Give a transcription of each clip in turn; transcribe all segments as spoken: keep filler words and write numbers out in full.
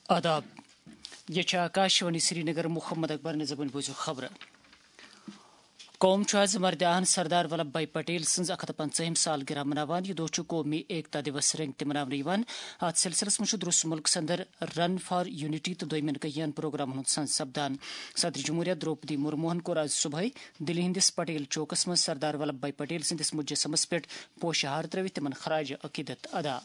آداب۔ یہ چھِ آکاشوانی سرینگر۔ محمد اکبر نظامن بوزو خبرٕ۔ قوم چھُ آز مردِ آہن سردار ولبھ بھائی پٹیل سٕنٛز اکھ ہتھ پنژاہِم سالگرہ مناوان۔ یہِ دۄہ چھُ قومی ایکتا دیوس رنٛگۍ تہِ مناونہٕ یِوان۔ اتھ سلسلس منٛز چھُ درست مُلکس اندر رن فار یونٹی تہٕ دوٚیمٮ۪ن کینٛہن پروگرامن ہُنٛد سنز سپدان۔ صدر جمہوریہ درٛوپدی مرموہن کوٚر آز صبحٲے دِلہِ ہٕنٛدِس پٹیل چوکس منٛز سردار ولبھ بھائی پٹیل سٕنٛدِس مجسمس پٮ۪ٹھ پوشہٕ ہار ترٲوِتھ تِمن خراج عقیدت ادا۔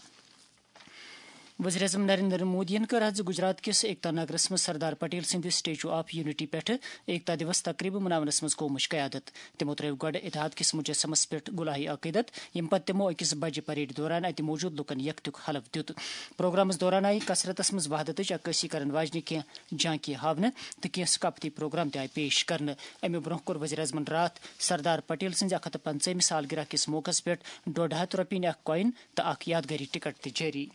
وزیر اعظم نریندر مودیَن کٔر آز گجرات کِس ایکتا نگرس منٛز سردار پٹیل سٕنٛدِ سٹیچو آف یونٹی پٮ۪ٹھٕ ایکتا دیوس تقریبہٕ مناونس منٛز قومٕچ قیادت۔ تِمو ترٲو گۄڈٕ اتحاد کِس مجسمس پٮ۪ٹھ گلہائے عقیدت، ییٚمہِ پتہٕ تِمو أکِس بجہِ پریڈ دوران اتہِ موجود لوٗکن یکتیُک حلف دیُت۔ پروگرامس دوران آیہِ کثرتس منٛز وحدتٕچ عکٲسی کرن واجنہِ کینٛہہ جھانکی ہاونہٕ تہٕ کینٛہہ ثقافتی پروگرام تہِ آیہِ پیش کرنہٕ۔ امہِ برونٛہہ کوٚر وزیر اعظمن راتھ سردار پٹیل سٕنٛزِ اکھ ہتھ تہٕ پنژاہمہِ سالگرہ کِس موقعس پٮ۪ٹھ ڈۄڈ ہتھ رۄپیہِ ہٕنٛدۍ اکھ کوین تہٕ اکھ یادگٲری ٹکٹ تہِ جٲری۔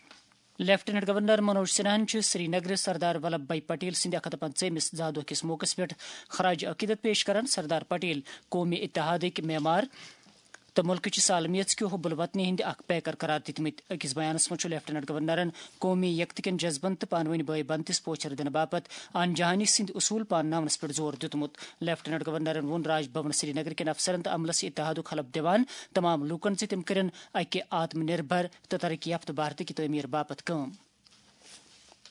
لیفٹیننٹ گورنر منوج سنہاہن چھُ سری نگرٕ سردار ولبھ بھائی پٹیل سٕنٛدِ اکھ ہتھ تہٕ پنژاہمِس زاہ دۄہ کِس موقعس پٮ۪ٹھ خراج عقیدت پیش کران۔ سردار پٹیل قومی اتحادٕکۍ معمار تہٕ مُلکٕچہِ سالمیژ کہِ حب الوطنی ہٕنٛدۍ اکھ پیکر قرار دِتمٕتۍ۔ أکِس بیانس منٛز چھُ لیفٹیننٹ گورنرن قومی یکتہٕ کٮ۪ن جذبن تہٕ پانہٕ ؤنۍ بٲے بنتِس پوچھر دِنہٕ باپتھ آن جہانی سٕنٛدۍ اصوٗل پانناونس پٮ۪ٹھ زور دیُتمُت۔ لیفٹیننٹ گورنرن ووٚن راج بھون سری نگر کٮ۪ن افسرن تہٕ عملس اتحادُک حلف دِوان تمام لوٗکن زِ تِم کٔرِن اکہِ آتم نربھر تہٕ ترقی یافتہٕ بھارتٕکہِ تعمیٖر باپتھ کٲم۔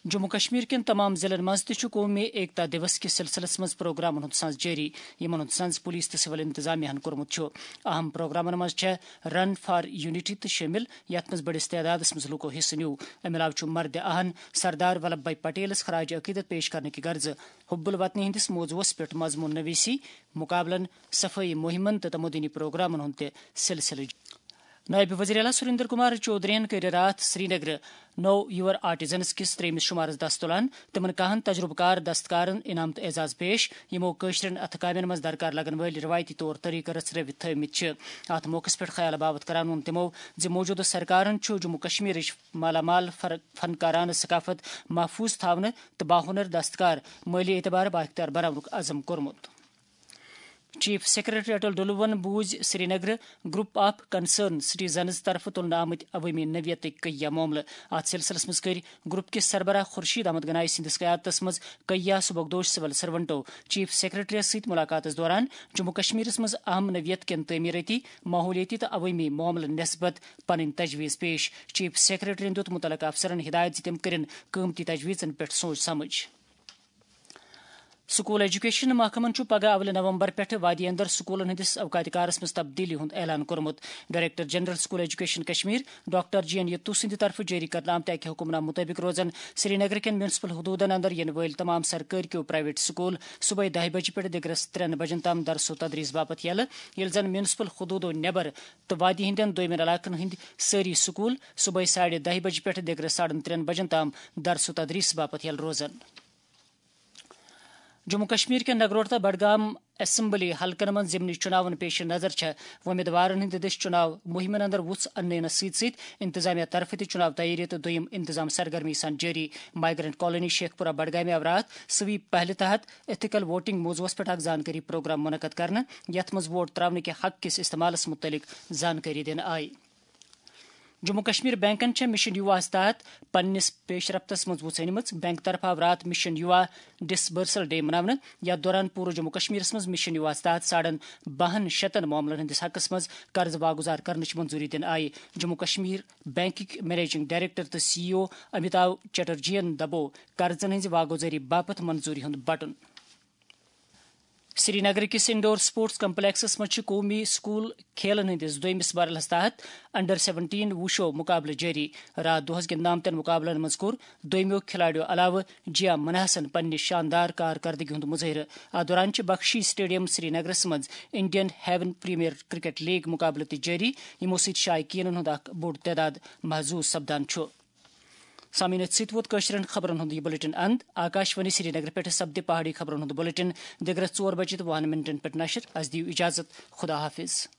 جموں کشمیر کٮ۪ن تمام ضلعن منٛز تہِ چھُ قومی ایکتا دیوس کِس سلسلس منٛز پروگرامن ہُنٛد سنز جٲری، یِمن ہُنٛد سنز پولیس تہٕ سول انتظامیہ ہن کوٚرمُت چھُ۔ اہم پروگرامن منٛز چھےٚ رن فار یونٹی تہِ شٲمِل، یتھ منٛز بٔڑِس تعدادس منٛز لوٗکو حصہٕ نیوٗ۔ امہِ علاوٕ چھُ مردِ آہن سردار ولبھ بھائی پٹیلس خراج عقیدت پیش کرنہٕ کہِ غرضہٕ حب الوطنی ہٕنٛدِس موضوعس پٮ۪ٹھ مضمون نویسی، مقابلن، صفٲیی مہمن تہٕ تمدنی پروگرامن ہُنٛد تہِ سلسلہٕ۔ نٲیِب وزیر اعلیٰ سریندر کمار چودھرین کٔرۍ راتھ سرینگرٕ نو یور آرٹیزنز کِس ترٛیٚیمِس شُمارس دست تُلان۔ تِمن کاہن تجرُبہٕ کار دستکارن انعام تہٕ اعزاز پیش، یِمو کٲشرٮ۪ن اتھٕ کامٮ۪ن منٛز درکار لگن وٲلۍ رٮ۪وایتی طور طریقہٕ رژھرٲوِتھ تھٲومٕتۍ چھِ۔ اتھ موقعس پٮ۪ٹھ خیال باوتھ کران ووٚن تِمو زِ موجودٕ سرکارن چھُ جموں کشمیرٕچ مالا مال فر-، فنکارانہٕ ثقافت محفوظ تھاونہٕ تہٕ باہُنر دستکار مٲلی اعتبار بااختیار بناونُک عزم کوٚرمُت۔ چیف سیکرٹری اٹل ڈلوَن بوٗزۍ سرینگرٕ گروپ آف کنسرن سٹیزنز طرفہٕ تُلنہٕ آمٕتۍ عوٲمی نوعیتٕکۍ کیٚنٛہہ معاملہٕ۔ اتھ سلسلس منٛز کٔرۍ گروپ کِس سربراہ خورشید احمد گنایی سٕنٛدِس قیادتس منٛز کیٚنٛہہ سُبکدوش سول سرونٹو چیف سیکرٹریس سۭتۍ ملاقاتس دوران جموں کشمیرس منٛز اہم نوعیت کٮ۪ن تعمیرٲتی، ماحولیٲتی تہٕ عوٲمی معاملن نسبت پنٕنۍ تجویز پیش۔ چیف سیکرٹریَن دیُت مُتعلقہٕ افسرن ہدایت زِ تِم کٔرِن قۭمتی تجویزن پٮ۪ٹھ سوچ سمجھ۔ سکول ایجوکیشن محکمن چھُ پگہہ اولہِ نومبر پٮ۪ٹھٕ وادی اندر سکولن ہٕنٛدِس اوقاتِ کارس منٛز تبدیلی ہُنٛد اعلان کوٚرمُت۔ Director general school education Kashmir doctor G N Itoo سٕنٛدِ طرفہٕ جٲری کرنہٕ آمتہِ اکہِ حکمنامہٕ مُطٲبِق روزن سرینگر کٮ۪ن میونسپل حدوٗدن اندر یِنہٕ وٲلۍ تمام سرکٲرۍ کیو پرائیویٹ سکول صبحٲے دَہہِ بجہِ پٮ۪ٹھ دِگرس ترٛٮ۪ن بجن تام درس و تدریس باپتھ یلہٕ، ییٚلہِ زن میونسپل حدوٗدو نٮ۪بر تہٕ وادی ہٕنٛدٮ۪ن دوٚیمٮ۪ن علاقن ہٕنٛدۍ سٲری سکول صبحٲے ساڑِ دَہہِ بجہِ پٮ۪ٹھ دِگرس ساڑن ترٛٮ۪ن بجن تام درس و تدریس باپتھ یلہٕ روزن۔ جموں کشمیر کٮ۪ن نگروٹہ تہٕ بڈگام اسمبلی حلقن منٛز ضمنی چُناون پیش نظر چھےٚ وۄمیدوارن ہٕنٛدِ دٔسۍ چُناو مُہِمن اندر وُژھ اننہٕ یِنس سۭتۍ سۭتۍ انتظامیہ طرفہٕ تہِ چُناو تیٲری تہٕ دوٚیِم انتظام سرگرمی سان جٲری۔ مائیگرنٹ کالونی شیخ پورہ بڈگامہِ آو راتھ سویپ پہلہِ تحت ایتھیکل ووٹنگ موضوعس پٮ۪ٹھ اکھ زانکٲری پروگرام منعقد کرنہٕ، یتھ منٛز ووٹ تراونہٕ کہِ حق کِس استعمالس مُتعلق زانکٲری دِنہٕ آیہِ۔ جموں کشمیر بینکن چھےٚ مشن یوواہس تحت پننِس پیش رفتس منٛز وُژھنمٕژ۔ بینک طرفہٕ آو راتھ مشن یووا ڈسبرسل ڈے مناونہٕ، یتھ دوران پوٗرٕ جموں کشمیرس منٛز مشن یوواہس تحت ساڑن بہن شتن معاملن ہٕنٛدِس حقس منٛز قرض واگذار کرنٕچ منظوری دِنہٕ آیہِ۔ جموں کشمیر بینکٕکۍ منیجنگ ڈائریکٹر تہٕ سی ای او امیتاو چٹرجین دبوو قرضن ہٕنٛزِ واگذٲری باپتھ منظوری ہُنٛد بٹن۔ سرینگر کِس انڈور سپورٹس کمپلیکسس منٛز چھِ قومی سکول کھیلن ہٕنٛدِس دوٚیمِس مرحلس تحت انڈر سیونٹین وُشو مقابلہٕ جٲری۔ راتھ دۄہس گِنٛدنہٕ آمتٮ۪ن مقابلن منٛز کوٚر دوٚیمیو کھلاڑیو علاوٕ جیا منحسن پننہِ شاندار کارکردگی ہُنٛد مظٲہرٕ۔ اتھ دوران چھِ بخشی سٹیڈیم سرینگرس منٛز Indian Heaven Premier Cricket League مقابلہٕ تہِ جٲری، یِمو سۭتۍ شائقینن ہُنٛد اکھ بوٚڑ تعداد محظوظ سپدان چھُ۔ سامعین، أتھۍ سۭتۍ ووت کٲشرٮ۪ن خبرن ہُنٛد یہِ بلیٹن اند۔ آکاشوانی سرینگر پٮ۪ٹھ سپدِ پہاڑی خبرن ہُنٛد بلیٹن دِگرس ژور بجہِ تہٕ وُہن منٹن پٮ۪ٹھ نشر۔ از دِیِو اجازت۔ خدا حافظ۔